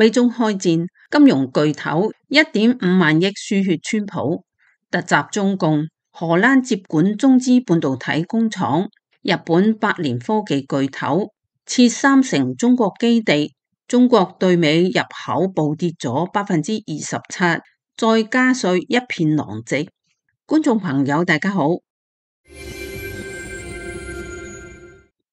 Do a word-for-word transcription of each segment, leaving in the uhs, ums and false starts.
美中開戰，金融巨頭一點五萬億輸血川普，突襲中共，荷蘭接管中資半導體工廠，日本百年科技巨頭設三成中國基地，中國對美入口暴跌咗百分之二十七，再加稅一片狼藉。觀眾朋友大家好，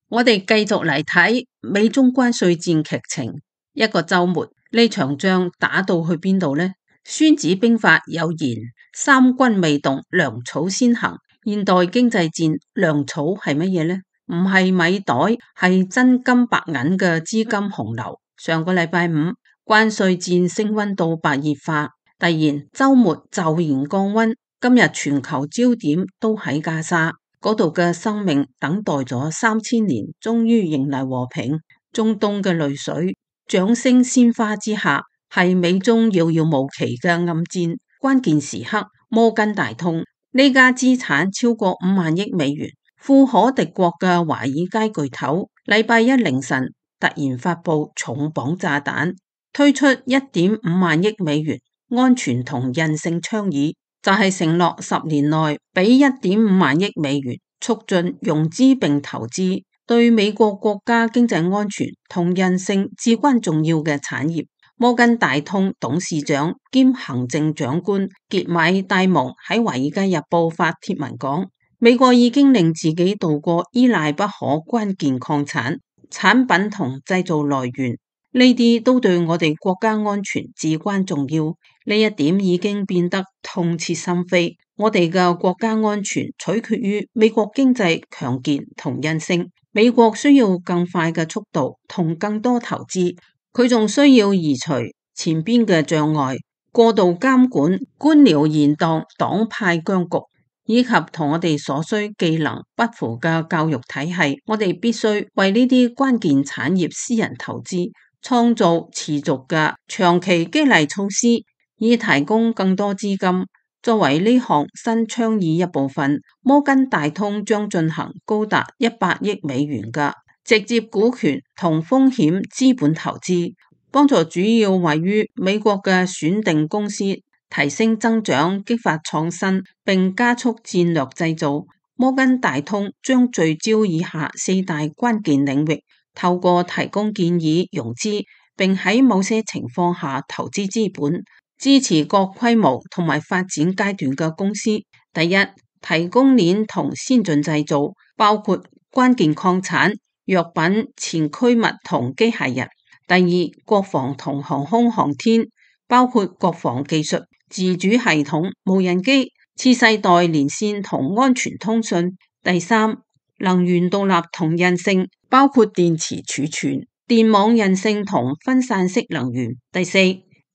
我哋繼續嚟睇美中關稅戰劇情。一個週末，呢場仗打到去邊度呢？孫子兵法有言：三軍未動，糧草先行。現代經濟戰，糧草係乜嘢呢？唔係米袋，係真金白銀嘅資金洪流。上個禮拜五，關稅戰升溫到白熱化，突然週末驟然降溫。今日全球焦點都喺加沙嗰度嘅生命，等待咗三千年，終於迎嚟和平。中東嘅淚水掌聲鮮花之下，係美中遙遙無期嘅暗戰。關鍵時刻，摩根大通呢家資產超過五萬億美元、富可敵國嘅華爾街巨頭，禮拜一凌晨突然發佈重磅炸彈，推出一點五萬億美元安全同韌性倡議，就係、是、承諾十年內俾一點五萬億美元促進融資並投資，對美國國家經濟安全同韌性至關重要嘅產業。摩根大通董事長兼行政長官傑米戴蒙喺《華爾街日報》發帖文講，美國已經令自己渡過依賴不可關鍵礦產產品同製造來源，呢啲都對我哋國家安全至關重要。呢一點已經變得痛徹心扉。我哋嘅國家安全取決於美國經濟強健同韌性。美國需要更快嘅速度同更多投資，佢仲需要移除前邊嘅障礙、過度監管、官僚嚴黨、黨派僵局，以及同我哋所需技能不符嘅教育體系。我哋必須為呢啲關鍵產業私人投資，創造持續嘅長期激勵措施，以提供更多資金。作為呢項新倡議一部分，摩根大通將進行高達一百億美元嘅直接股權同風險資本投資，幫助主要位於美國嘅選定公司提升增長、激發創新並加速戰略製造。摩根大通將聚焦以下四大關鍵領域，透過提供建議融資，並喺某些情況下投資資本，支持各規模同埋發展階段嘅公司。第一，提供鏈同先進製造，包括關鍵礦產、藥品、前驅物同機械人。第二，國防同航空航天，包括國防技術、自主系統、無人機、次世代連線同安全通訊。第三，能源獨立同韌性，包括電池儲存、電網韌性同分散式能源。第四，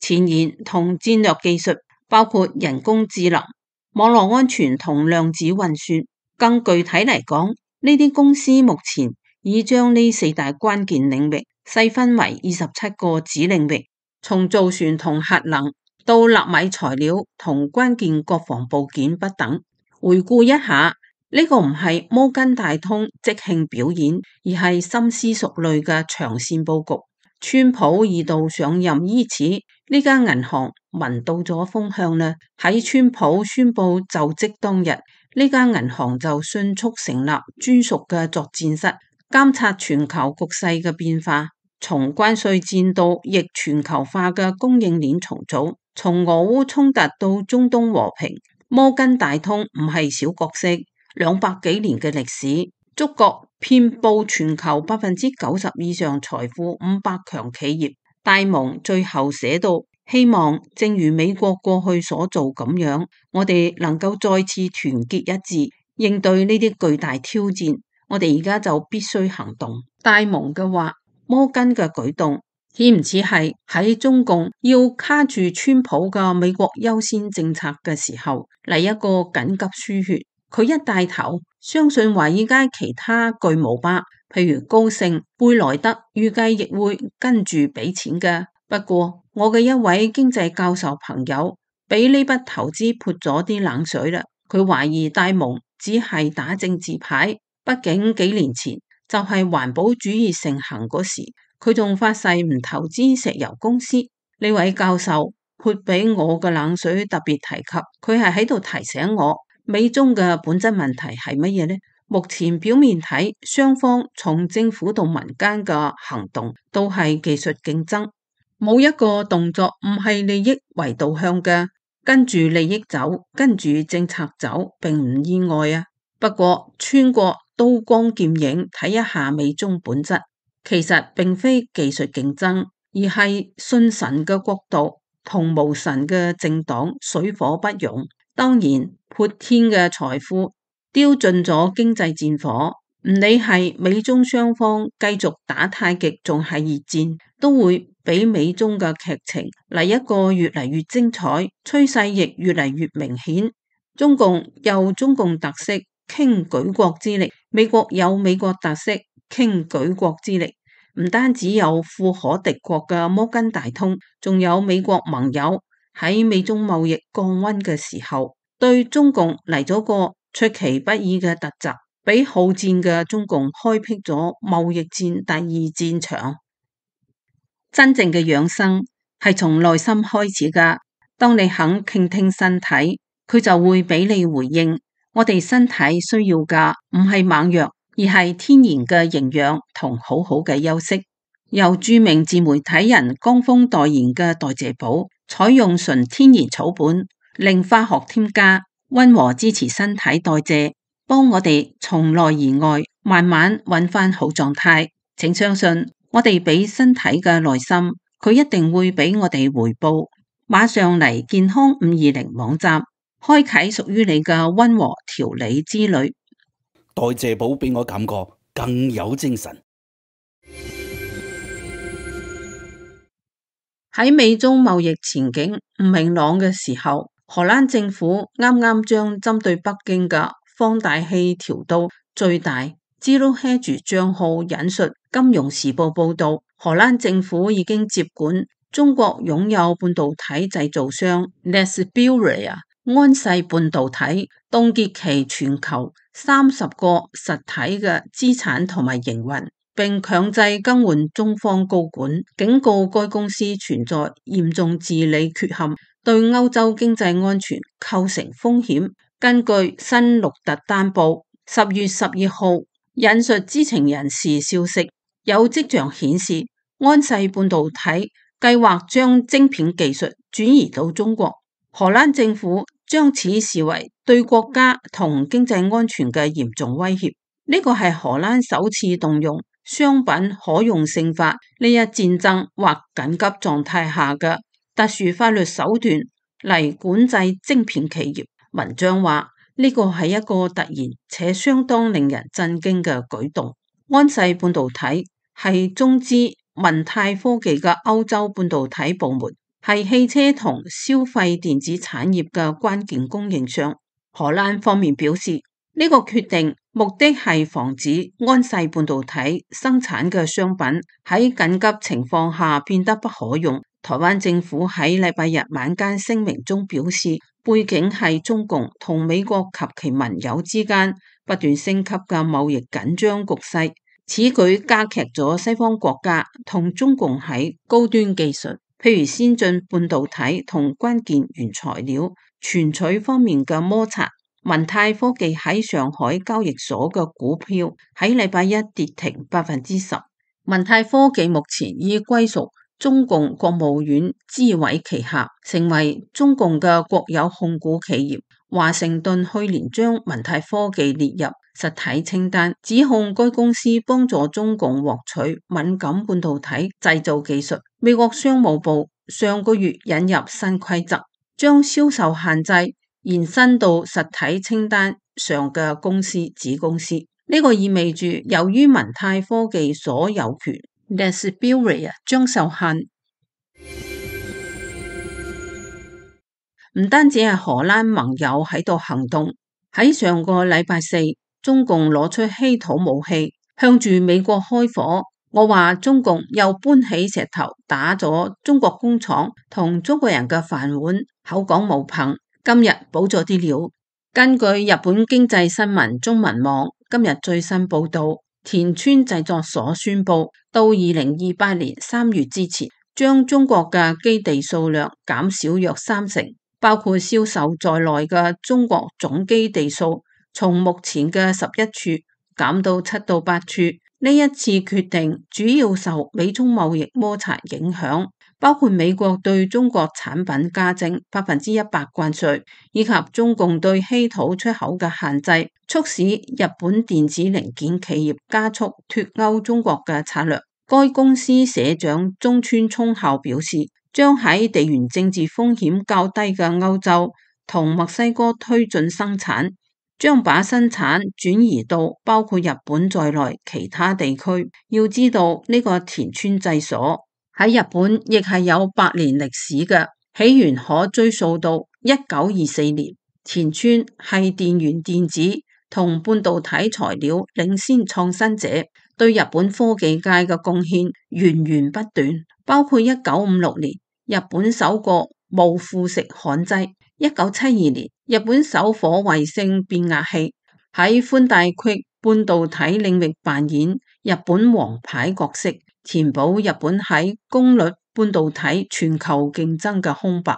前沿同戰略技術，包括人工智能、網絡安全同量子運算。更具體嚟講，呢啲公司目前已將呢四大關鍵領域細分為二十七個子領域，從造船同核能到納米材料同關鍵國防部件不等。回顧一下，呢、這個唔係摩根大通即興表演，而係深思熟慮嘅長線佈局。川普二度上任伊始，呢間銀行聞到咗風向呢。喺川普宣布就職當日，呢間銀行就迅速成立專屬嘅作戰室，監察全球局勢嘅變化，從關稅戰到逆全球化嘅供應鏈重組，從俄烏衝突到中東和平。摩根大通唔係小角色，兩百幾年嘅歷史，觸覺遍佈全球百分之九十以上財富五百強企業。戴蒙最後寫到，希望正如美國過去所做咁樣，我哋能夠再次團結一致，應對呢啲巨大挑戰。我哋而家就必須行動。戴蒙嘅話，摩根嘅舉動，似唔似係喺中共要卡住川普嘅美國優先政策嘅時候嚟一個緊急輸血？佢一帶頭，相信華爾街其他巨無霸，譬如高盛、貝萊德，預計亦會跟住俾錢嘅。不過，我嘅一位經濟教授朋友俾呢筆投資潑咗啲冷水啦。佢懷疑戴蒙只係打政治牌，畢竟幾年前就係環保主義盛行嗰時，佢仲發誓唔投資石油公司。呢位教授潑俾我嘅冷水特別提及，佢係喺度提醒我，美中嘅本質問題係乜嘢呢？目前表面睇，雙方從政府到民間嘅行動都係技術競爭，冇一個動作唔係利益為導向嘅，跟住利益走，跟住政策走，並唔意外啊。不過穿過刀光劍影睇一下美中本質，其實並非技術競爭，而係信神嘅國度同無神嘅政黨水火不容。當然，潑天嘅財富丟盡咗經濟戰火，唔理係美中雙方繼續打太極，仲係熱戰，都會俾美中嘅劇情嚟一個越嚟越精彩，趨勢亦越嚟越明顯。中共有中共特色，傾舉國之力；美國有美國特色，傾舉國之力。唔單止有富可敵國嘅摩根大通，仲有美國盟友喺美中貿易降溫嘅時候，對中共嚟咗個出其不意嘅突襲，俾好戰嘅中共開闢咗貿易戰第二戰場。真正嘅養生係從內心開始噶，當你肯傾聽身體，佢就會俾你回應。我哋身體需要嘅唔係猛藥，而係天然嘅營養同好好嘅休息。由著名自媒體人江峰代言嘅代謝寶，採用純天然草本，零化學添加，溫和支持身體代謝，幫我哋從內而外慢慢揾翻好狀態。請相信我哋俾身體嘅耐心，佢一定會俾我哋回報。馬上嚟健康五二零網站，開啟屬於你嘅溫和調理之旅。代謝寶俾我感覺更有精神。喺美中貿易前景唔明朗嘅時候，荷蘭政府啱啱將針對北京嘅放大器調到最大。Zero Hedge 賬號引述《金融時報》報道，荷蘭政府已經接管中國擁有半導體製造商 Nesburea 安世半導體，凍結其全球三十個實體嘅資產同埋營運，並強制更換中方高管，警告該公司存在嚴重治理缺陷，對歐洲經濟安全構成風險。根據新鹿特丹報十月十二號引述知情人士消息，有跡象顯示安世半導體計劃將晶片技術轉移到中國，荷蘭政府將此視為對國家同經濟安全嘅嚴重威脅。呢個係荷蘭首次動用商品可用性法呢一戰爭或緊急狀態下嘅特殊法律手段嚟管制晶片企業。文章話呢個係一個突然且相當令人震驚嘅舉動。安世半導體係中資文泰科技嘅歐洲半導體部門，係汽車同消費電子產業嘅關鍵供應商。荷蘭方面表示，呢個決定目的係防止安世半導體生產嘅商品喺緊急情況下變得不可用。台灣政府喺禮拜日晚間聲明中表示，背景係中共同美國及其盟友之間不斷升級嘅貿易緊張局勢，此舉加劇咗西方國家同中共喺高端技術，譬如先進半導體同關鍵原材料存取方面嘅摩擦。文泰科技喺上海交易所嘅股票喺禮拜一跌停百分之十。文泰科技目前已歸屬中共國務院資委旗下，成為中共嘅國有控股企業。華盛頓去年將文泰科技列入實體清單，指控該公司幫助中共獲取敏感半導體製造技術。美國商務部上個月引入新規則，將銷售限制延伸到實體清單上嘅公司子公司。呢個意味住，由於文泰科技所有權 Nesburea 將受限。唔單止係荷蘭盟友喺度行動，喺上個禮拜四，中共攞出稀土武器向住美國開火。我話中共又搬起石頭打咗中國工廠同中國人嘅飯碗，口講無憑。今日補咗啲料，根據日本經濟新聞中文網今日最新報道，田村製作所宣布，到二零二八年三月之前，將中國嘅基地數量減少約三成，包括銷售在內嘅中國總基地數從目前嘅十一處減到七到八處。呢一次決定主要受美中貿易摩擦影響，包括美國對中國產品加徵百分之一百關稅，以及中共對稀土出口嘅限制，促使日本電子零件企業加速脫歐中國嘅策略。該公司社長中村聰孝表示，將喺地緣政治風險較低嘅歐洲同墨西哥推進生產，將把生產轉移到包括日本在內其他地區。要知道呢個田村製所喺日本亦係有百年歷史嘅，起源可追溯到一九二四年。田村係電源電子同半導體材料領先創新者，對日本科技界嘅貢獻源源不斷，包括一九五六年日本首個無腐蝕焊劑，一九七二年日本首顆衛星變壓器，喺寬帶域半導體領域扮演日本王牌角色，填補日本喺功率半導體全球競爭嘅空白。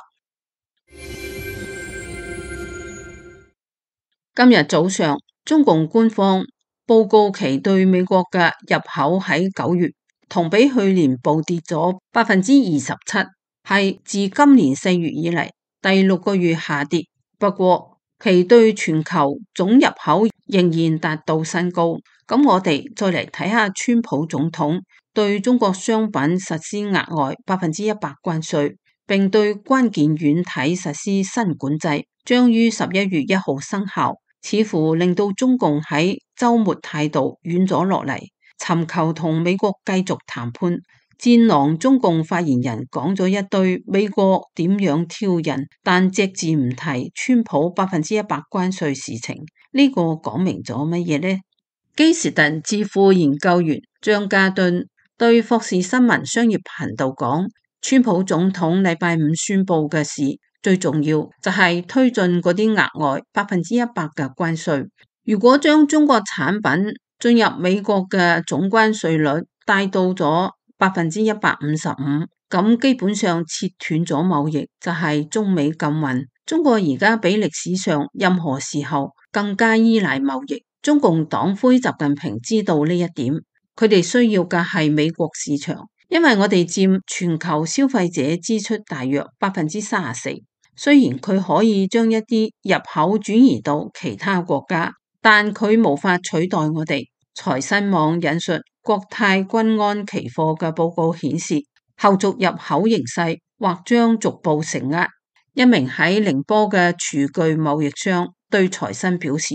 今日早上，中共官方報告其對美國嘅入口喺九月同比去年暴跌咗百分之二十七，係自今年四月以嚟第六個月下跌。不過其對全球總入口仍然達到新高。咁我哋再嚟睇下川普總統對中國商品實施額外百分之一百關稅，並對關鍵軟體實施新管制，將於十一月一號生效。似乎令到中共喺週末態度軟咗落嚟，尋求同美國繼續談判。戰狼中共發言人講咗一堆美國點樣挑釁，但隻字唔提川普百分之一百關稅事情。呢、這個講明咗乜嘢呢？基士頓智庫研究員張家敦對霍士新聞商業頻道講，川普總統禮拜五宣布嘅事，最重要就係推進嗰啲額外百分之一百嘅關稅。如果將中國產品進入美國嘅總關稅率帶到咗百分之一百五十五，咁基本上切斷咗貿易，就係中美禁運。中國而家比歷史上任何時候更加依賴貿易。中共黨魁習近平知道呢一點，佢哋需要嘅係美國市場，因為我哋佔全球消費者支出大約百分之三十四。雖然佢可以將一啲入口轉移到其他國家，但佢無法取代我哋。財新網引述國泰君安期貨嘅報告顯示，後續入口形勢或將逐步承壓。一名喺寧波嘅廚具貿易商對財新表示，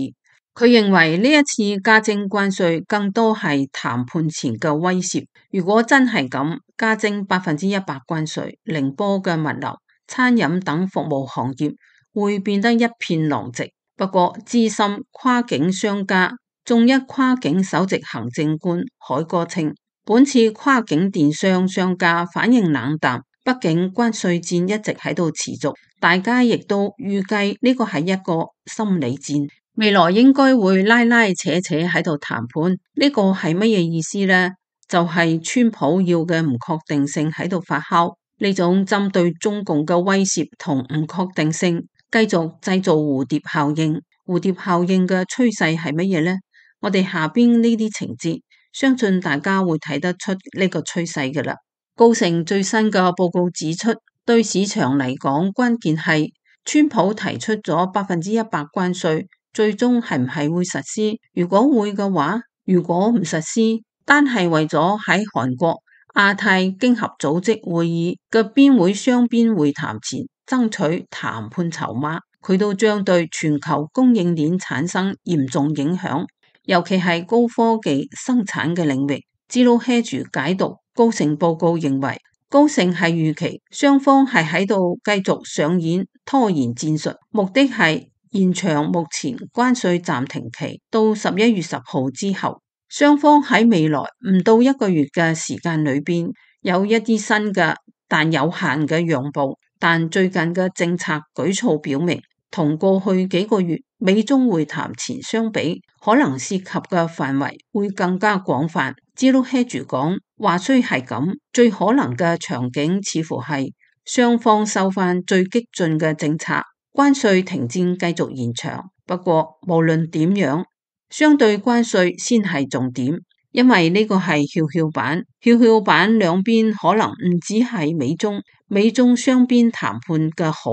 佢認為呢一次加徵關稅更多係談判前嘅威懾。如果真係咁加徵百分之一百關稅，寧波嘅物流、餐飲等服務行業會變得一片狼藉。不過資深跨境商家眾一跨境首席行政官海哥稱，本次跨境電商商家反應冷淡，畢竟關稅戰一直喺度持續，大家亦都預計呢個係一個心理戰，未來應該會拉拉扯扯喺度談判。呢個係乜嘢意思呢？就係川普要嘅唔確定性喺度發酵。呢種針對中共嘅威懾同唔確定性，繼續製造蝴蝶效應。蝴蝶效應嘅趨勢係乜嘢呢？我哋下邊呢啲情節，相信大家會睇得出呢個趨勢㗎喇。高盛最新嘅報告指出，對市場嚟講，關鍵係川普提出咗百分之一百關稅，最終係唔係會實施？如果會嘅話，如果唔實施，單係為咗喺韓國亞太經合組織會議嘅邊會雙邊會談前爭取談判籌碼，佢都將對全球供應鏈產生嚴重影響，尤其係高科技生產嘅領域。Zero Hedge解讀高盛報告認為，高盛係預期雙方係喺度繼續上演拖延戰術，目的係延長目前關稅暫停期到十一月十號之後。雙方喺未來唔到一個月嘅時間裏邊，有一啲新嘅但有限嘅讓步。但最近嘅政策舉措表明，同過去幾個月美中會談前相比，可能涉及嘅範圍會更加廣泛。Zero-Hedge講，話雖係咁，最可能嘅場景似乎係雙方收返最激進嘅政策，關稅停戰繼續延長。不過無論點樣，相對關稅先係重點，因為呢個係蹺蹺板，蹺蹺板兩邊可能唔只係美中，美中雙邊談判嘅好，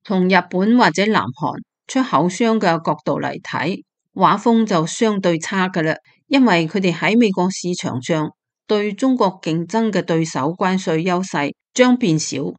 從日本或者南韓出口商嘅角度嚟睇，畫風就相對差㗎喇，因為佢哋喺美國市場上對中國競爭嘅對手關稅優勢將變少。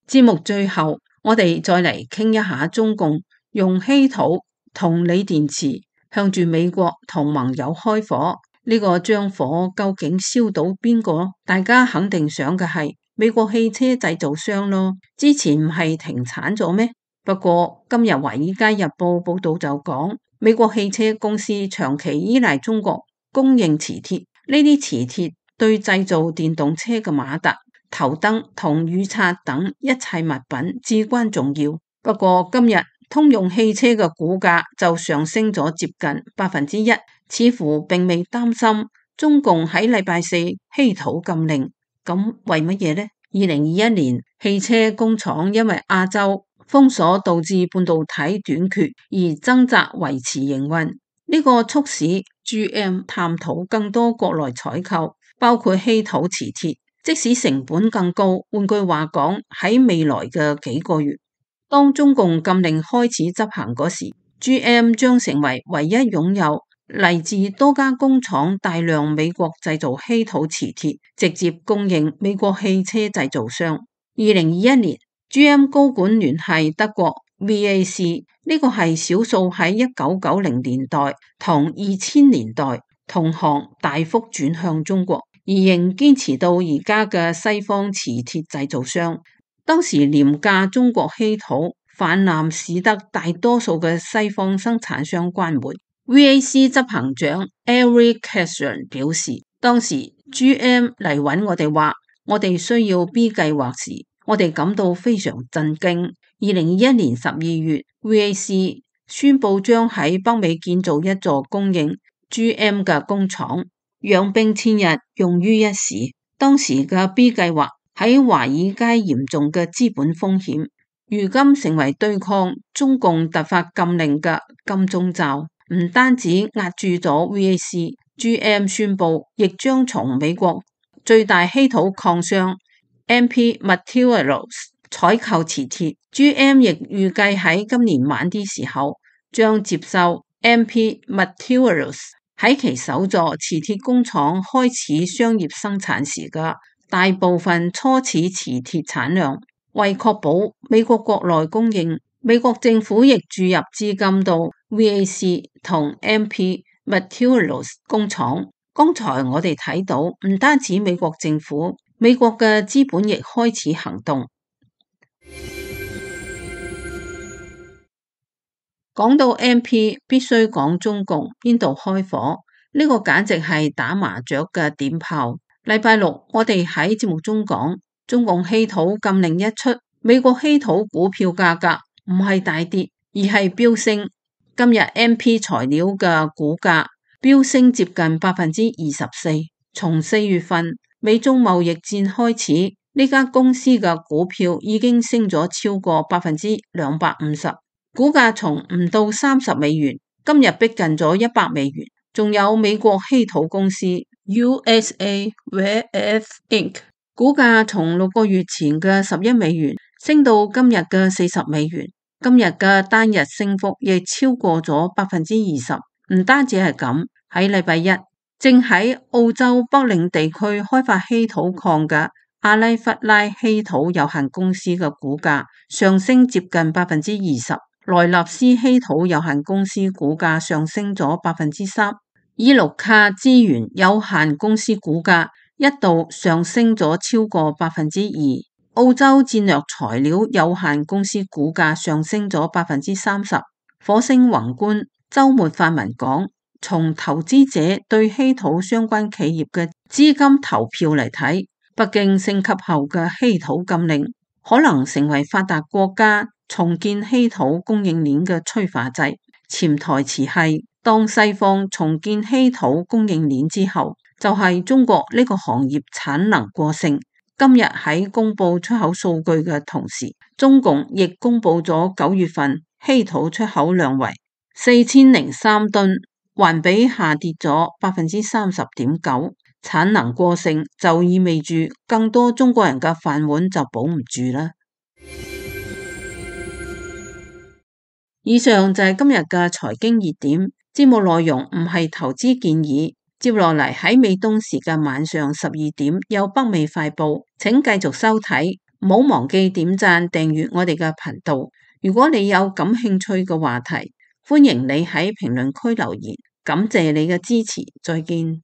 節目最後，我哋再嚟傾一下中共用稀土同鋰電池向住美國同盟友開火，呢個將火究竟燒到邊個？大家肯定想嘅係美國汽車製造商咯，之前唔係停產咗咩？不過今日《華爾街日報》報道就講，美國汽車公司長期依賴中國供應磁鐵，呢啲磁鐵對製造電動車嘅馬達、頭燈同雨刷等一切物品至關重要。不過今日通用汽車嘅股價就上升咗接近百分之一，似乎並未擔心中共喺禮拜四稀土禁令。咁為乜嘢呢？二零二一年汽車工廠因為亞洲封鎖導致半導體短缺而掙扎維持營運，呢個促使 G M 探討更多國內採購，包括稀土磁鐵，即使成本更高。換句話講，喺未來嘅幾個月，當中共禁令開始執行嗰時， G M 將成為唯一擁有嚟自多家工廠大量美國製造稀土磁鐵，直接供應美國汽車製造商。二零二一年 G M 高管聯繫德國 V A C， 呢個係少數喺一九九零年代同二千年代同行大幅轉向中國，而仍堅持到而家嘅西方磁鐵製造商。當時廉價中國稀土泛濫，使得大多數嘅西方生產商關門。V A C 執行長 Eric Keston 表示，當時 G M 嚟揾我哋話，我哋需要 B 計劃時，我哋感到非常震驚。二零二一年十二月 V A C 宣布將喺北美建造一座供應 G M 嘅工廠，養兵千日，用於一時。當時嘅 B 計劃喺華爾街嚴重嘅資本風險，如今成為對抗中共突發禁令嘅金鐘罩。唔單止壓住咗 V A C，G M 宣布亦將從美國最大稀土礦商 M P Materials 採購磁鐵。G M 亦預計喺今年晚啲時候將接受 M P Materials 喺其首座磁鐵工廠開始商業生產時嘅大部分初始磁鐵產量。為確保美國國內供應，美國政府亦注入資金到 V A C 同 M P Materials 工廠。剛才我哋睇到，唔單止美國政府，美國嘅資本亦開始行動。講到 M P， 必須講中共邊度開火，呢個簡直係打麻雀嘅點炮。禮拜六我哋喺節目中講，中共稀土禁令一出，美國稀土股票價格唔係大跌，而係飆升。今日 M P 材料嘅股價飆升接近百分之二十四。從四月份美中貿易戰開始，呢間公司嘅股票已經升咗超過百分之兩百五十，股價從唔到三十美元，今日逼近咗一百美元。仲有美國稀土公司 U S A Rare Earth Incorporated， 股價從六個月前嘅十一美元升到今日嘅四十美元，今日嘅單日升幅亦超過咗百分之二十。唔單止係咁，喺禮拜一正喺澳洲北領地區開發稀土礦嘅阿拉弗拉稀土有限公司嘅股價上升接近百分之二十，萊納斯稀土有限公司股價上升咗百分之三，伊魯卡資源有限公司股價一度上升咗超過百分之二，澳洲戰略材料有限公司股價上升咗百分之三十。火星宏觀週末發文講，從投資者對稀土相關企業嘅資金投票嚟睇，北京升級後嘅稀土禁令可能成為發達國家重建稀土供應鏈嘅催化劑。潛台詞係，當西方重建稀土供應鏈之後，就係中國呢個行業產能過剩。今日喺公布出口數據嘅同時，中共亦公布咗九月份稀土出口量為四千零三噸，環比下跌咗百分之三十點九。產能過剩就意味住更多中國人嘅飯碗就保唔住啦。以上就係今日嘅財經熱點，節目內容唔係投資建議。接落嚟喺美東時間晚上十二點有北美快報，請繼續收睇，唔好忘記點讚訂閱我哋嘅頻道。如果你有感興趣嘅話題，歡迎你喺評論區留言。感謝你嘅支持，再見。